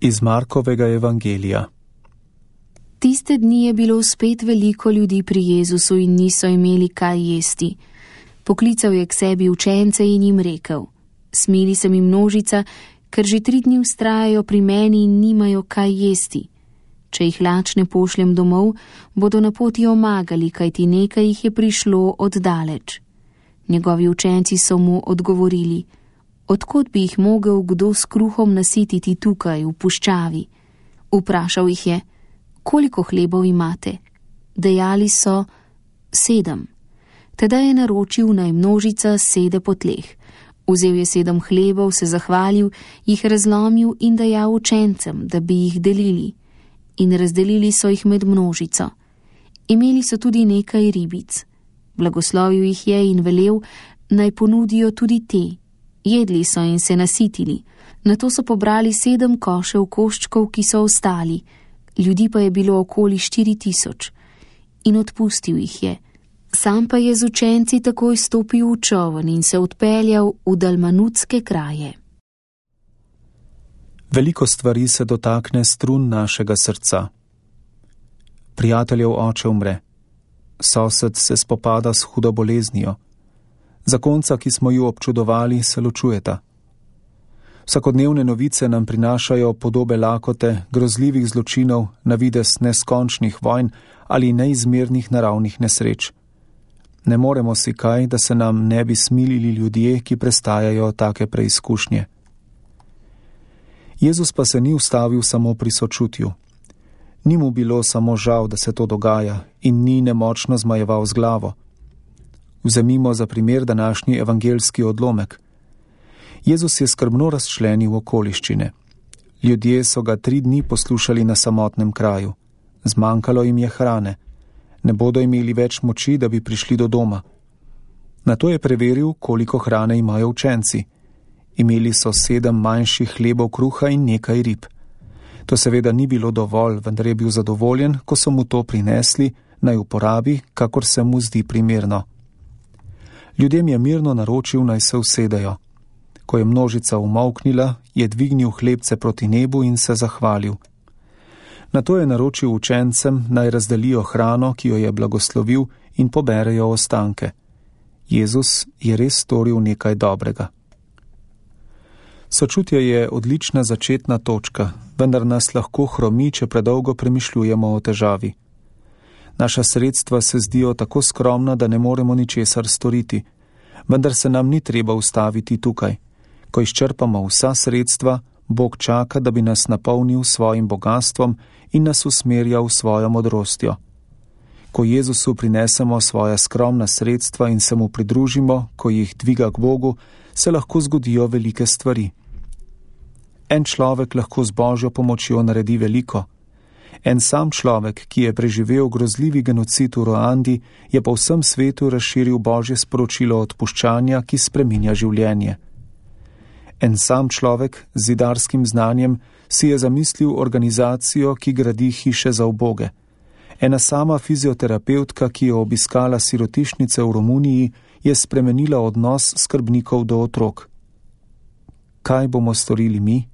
Iz Markovega evangelija. Tiste dni je bilo spet veliko ljudi pri Jezusu in niso imeli kaj jesti. Poklical je k sebi učence in jim rekel: Smili se mi množica, ker že 3 dni vztrajajo pri meni in nimajo kaj jesti. Če jih lačne pošljem domov, bodo na poti omagali, kajti nekaj jih je prišlo od daleč. Njegovi učenci so mu odgovorili: Od kod bi jih mogel kdo s kruhom nasititi tukaj, v puščavi? Vprašal jih je: Koliko hlebov imate? Dejali so: 7. Teda je naročil, naj množica sede po tleh. Vzel je 7 hlebov, se zahvalil, jih razlomil in dajal učencem, da bi jih delili. In razdelili so jih med množico. Imeli so tudi nekaj ribic. Blagoslovil jih je in velel, naj ponudijo tudi te. Jedli so in se nasitili. Nato so pobrali 7 košev koščkov, ki so ostali. Ljudi pa je bilo okoli 4000. In odpustil jih je. Sam pa je z učenci takoj stopil v čoln in se odpeljal v dalmanutske kraje. Veliko stvari se dotakne strun našega srca. Prijateljev oče umre. Sosed se spopada s hudo boleznijo. Zakonca, ki smo ju občudovali, se ločujeta. Vsakodnevne novice nam prinašajo podobe lakote, grozljivih zločinov, na videz neskončnih vojn ali neizmernih naravnih nesreč. Ne moremo si kaj, da se nam ne bi smilili ljudje, ki prestajajo take preizkušnje. Jezus pa se ni ustavil samo pri sočutju. Ni mu bilo samo žal, da se to dogaja, in ni nemočno zmajeval z glavo. Vzemimo za primer današnji evangeljski odlomek. Jezus je skrbno razčlenil okoliščine. Ljudje so ga 3 dni poslušali na samotnem kraju. Zmanjkalo jim je hrane. Ne bodo imeli več moči, da bi prišli do doma. Nato je preveril, koliko hrane imajo učenci. Imeli so 7 manjših hlebov kruha in nekaj rib. To seveda ni bilo dovolj, vendar je bil zadovoljen, ko so mu to prinesli, naj uporabi, kakor se mu zdi primerno. Ljudem je mirno naročil, naj se usedejo. Ko je množica umolknila, je dvignil hlebce proti nebu in se zahvalil. Nato je naročil učencem, naj razdelijo hrano, ki jo je blagoslovil, in poberejo ostanke. Jezus je res storil nekaj dobrega. Sočutje je odlična začetna točka, vendar nas lahko hromi, če predolgo premišljujemo o težavi. Naša sredstva se zdijo tako skromna, da ne moremo ničesar storiti, vendar se nam ni treba ustaviti tukaj. Ko izčrpamo vsa sredstva, Bog čaka, da bi nas napolnil svojim bogastvom in nas usmerjal svojo modrostjo. Ko Jezusu prinesemo svoja skromna sredstva in se mu pridružimo, ko jih dviga k Bogu, se lahko zgodijo velike stvari. En človek lahko z Božjo pomočjo naredi veliko. En sam človek, ki je preživel grozljivi genocid v Ruandi, je po vsem svetu razširil Božje sporočilo odpuščanja, ki spreminja življenje. En sam človek z zidarskim znanjem si je zamislil organizacijo, ki gradi hiše za uboge. Ena sama fizioterapevtka, ki je obiskala sirotišnice v Romuniji, je spremenila odnos skrbnikov do otrok. Kaj bomo storili mi?